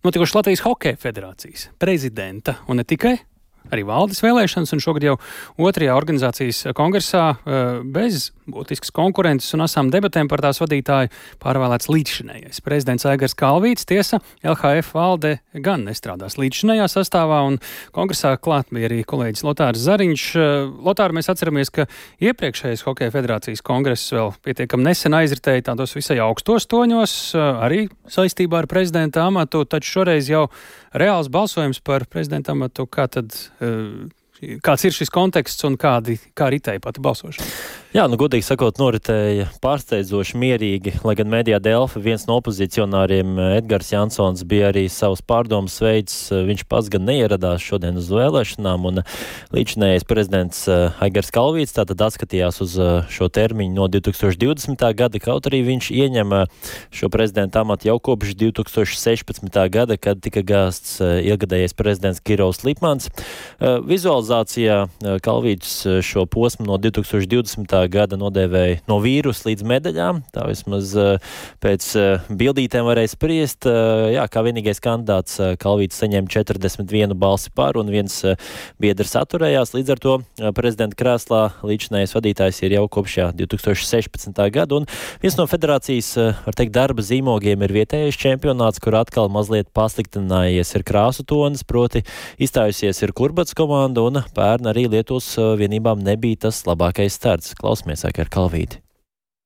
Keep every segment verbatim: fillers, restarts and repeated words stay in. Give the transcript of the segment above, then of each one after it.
notikuši Latvijas Hokeja federācijas prezidenta un ne tikai. Arī valdes vēlēšanas, un šogad jau otrajā organizācijas kongresā bez būtiskas konkurences un asām debatēm par tās vadītāju pārvēlēts līdzšinējais prezidents Aigars Kalvīts. Tiesa, L H F valde gan nestrādās līdzšinējā sastāvā, un kongresā klāt bija arī kolēģis Lotārs Zariņš. Lotār, mēs atceramies, ka iepriekšējais Hokeja federācijas kongress vēl pietiekam nesen aizritēja tādos visai augstos toņos, arī saistībā ar prezidenta amatu, taču šoreiz jau reāls balsojums par prezidenta amatu. Kā tad, kāds ir šis konteksts un kādi, kā ritēja pati balsošana? Jā, nu, godīgi sakot, noritēja pārsteidzoši mierīgi, lai gan Medijā Delfa viens no opozicionāriem, Edgars Jansons, bija arī savus pārdomas veids. Viņš pats gan neieradās šodien uz vēlēšanām, un līdzinējais prezidents Aigars Kalvīts tātad atskatījās uz šo termiņu no divi tūkstoši divdesmitā gada, kaut arī viņš ieņem šo prezidenta amatu jau kopš divi tūkstoši sešpadsmitā gada, kad tika gāsts ilgadējais prezidents Kirovs Lipmans. Vizualizācijā Kalvīts šo posmu no divi tūkstoši divdesmitā gada nodēvēja no vīrusa līdz medaļām. Tā vismaz pēc bildītēm varēja spriest. Jā, kā vienīgais kandidāts Kalvīts saņēma četrdesmit vienu balsi par, un viens biedrs atturējās. Līdz ar to prezidenta krēslā līdzinājais vadītājs ir jau kopš divi tūkstoši sešpadsmitā gada, un viens no federācijas, var teikt, darba zīmogiem ir vietējais čempionāts, kur atkal mazliet pasliktinājies ir krāsu tonis, proti izstājusies ir Kurbats komanda, un pērn arī Lietuvas vienībām nebija tas labākais starts. Klausamies ar Kalvīti.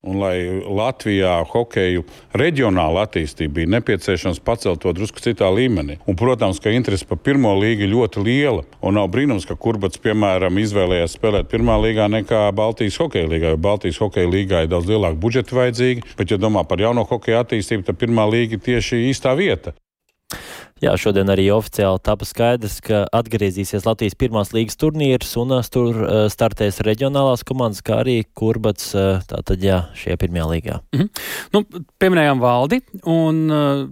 Un, lai Latvijā hokeju reģionāla attīstība bija nepieciešams pacelt to drusku citā līmenī. Un, protams, ka interese par pirmo līgu ļoti liela. Un nav brīnums, ka Kurbats, piemēram, izvēlējās spēlēt pirmā līgā nekā Baltijas hokeja līgā, jo Baltijas hokeja līgā ir daudz lielāka budžeta vajadzīga. Bet, ja domā par jauno hokeja attīstību, tad pirmā līga ir tieši īstā vieta. Jā, šodien arī oficiāli tapa skaidrs, ka atgriezīsies Latvijas pirmās līgas turnīrs, un tur startēs reģionālās komandas, kā arī Kurbats, tātad jā, šajā pirmajā līgā. Mhm. Nu, pieminējām valdi, un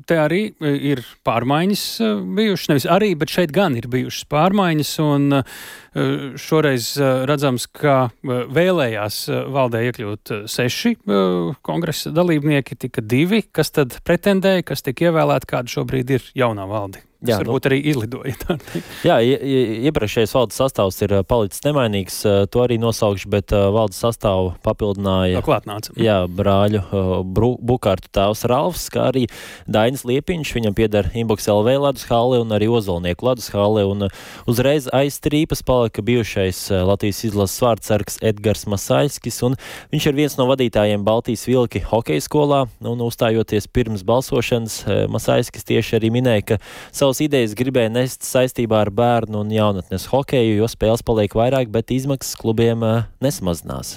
te arī ir pārmaiņas bijušas, nevis arī, bet šeit gan ir bijušas pārmaiņas, un šoreiz redzams, ka vēlējās valdē iekļūt seši kongresa dalībnieki, tika divi, kas tad pretendēja, kas tika ievēlēti, kāda šobrīd ir jaunā valde. Tas jā, varbūt nu, arī izlidoja. Jā, iepriekšējais valdes sastāvs ir palicis nemainīgs, to arī nosaukšu, bet valdes sastāvu papildināja jā, brāļu Bukārtu tēvs Ralfs, kā arī Dainis Liepiņš, viņam pieder Inbox L V ledus hale un arī Ozolnieku ledus hale, un uzreiz aiz trīpas palika bijušais Latvijas izlases vārdsargs Edgars Masaiskis, un viņš ir viens no vadītājiem Baltijas Vilki hokeja skolā, un uzstājoties pirms balsošanas, Masaiskis tieši arī minēja, ka savas idejas gribēja nest saistībā ar bērnu un jaunatnes hokeju, jo spēles paliek vairāk, bet izmaksas klubiem nesamazinās.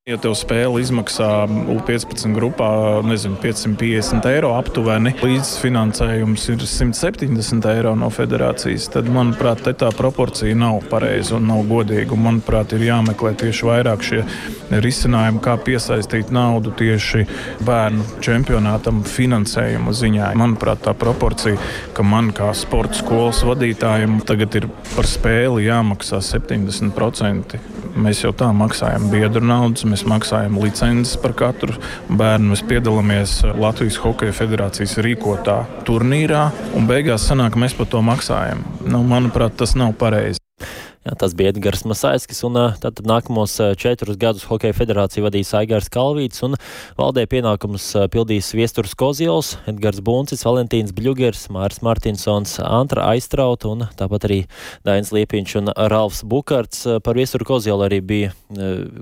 Ja tev spēle izmaksā U piecpadsmit grupā, nezinu, piecsimt piecdesmit eiro aptuveni, līdzfinansējums ir simt septiņdesmit eiro no federācijas, tad, manuprāt, te tā proporcija nav pareiza un nav godīga. Un, manuprāt, ir jāmeklē tieši vairāk šie risinājumi, kā piesaistīt naudu tieši bērnu čempionātam finansējuma ziņā. Manuprāt, tā proporcija, ka man kā sporta skolas vadītājiem tagad ir par spēli jāmaksā septiņdesmit procenti. Mēs jau tā maksājam biedru naudas, mēs maksājam licences par katru bērnu, mēs piedalāmies Latvijas Hokeja federācijas rīkotā turnīrā, un beigās sanāk, ka mēs par to maksājam. Nu, manuprāt, tas nav pareizi. Jā, tas bija Edgars Masaiskis, un tātad nākamos četrus gadus Hokeja federācija vadīs Aigars Kalvīts, un valdē pienākumus pildīs Viesturs Koziols, Edgars Buncis, Valentīns Bļugers, Māris Martinsons, Antra Aistrauta, un tāpat arī Dainis Liepiņš un Ralfs Bukarts. Par Viesturu Koziolu arī bija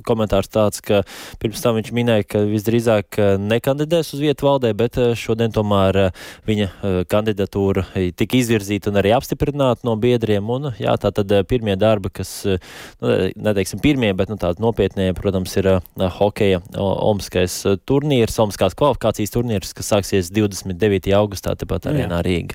komentārs tāds, ka pirms tam viņš minēja, ka visdrīzāk nekandidēs uz vietu valdē, bet šodien tomēr viņa kandidatūra tika izvirzīta un arī apstiprināta no biedriem, un jā, tātad pirmie darba, kas, nu, neteiksim pirmie, bet nu, tādi nopietnie, protams, ir uh, hokeja Omskais turnīrs, Omskās kvalifikācijas turnīrs, kas sāksies divdesmit devītajā augustā, tepat arēnā Rīga.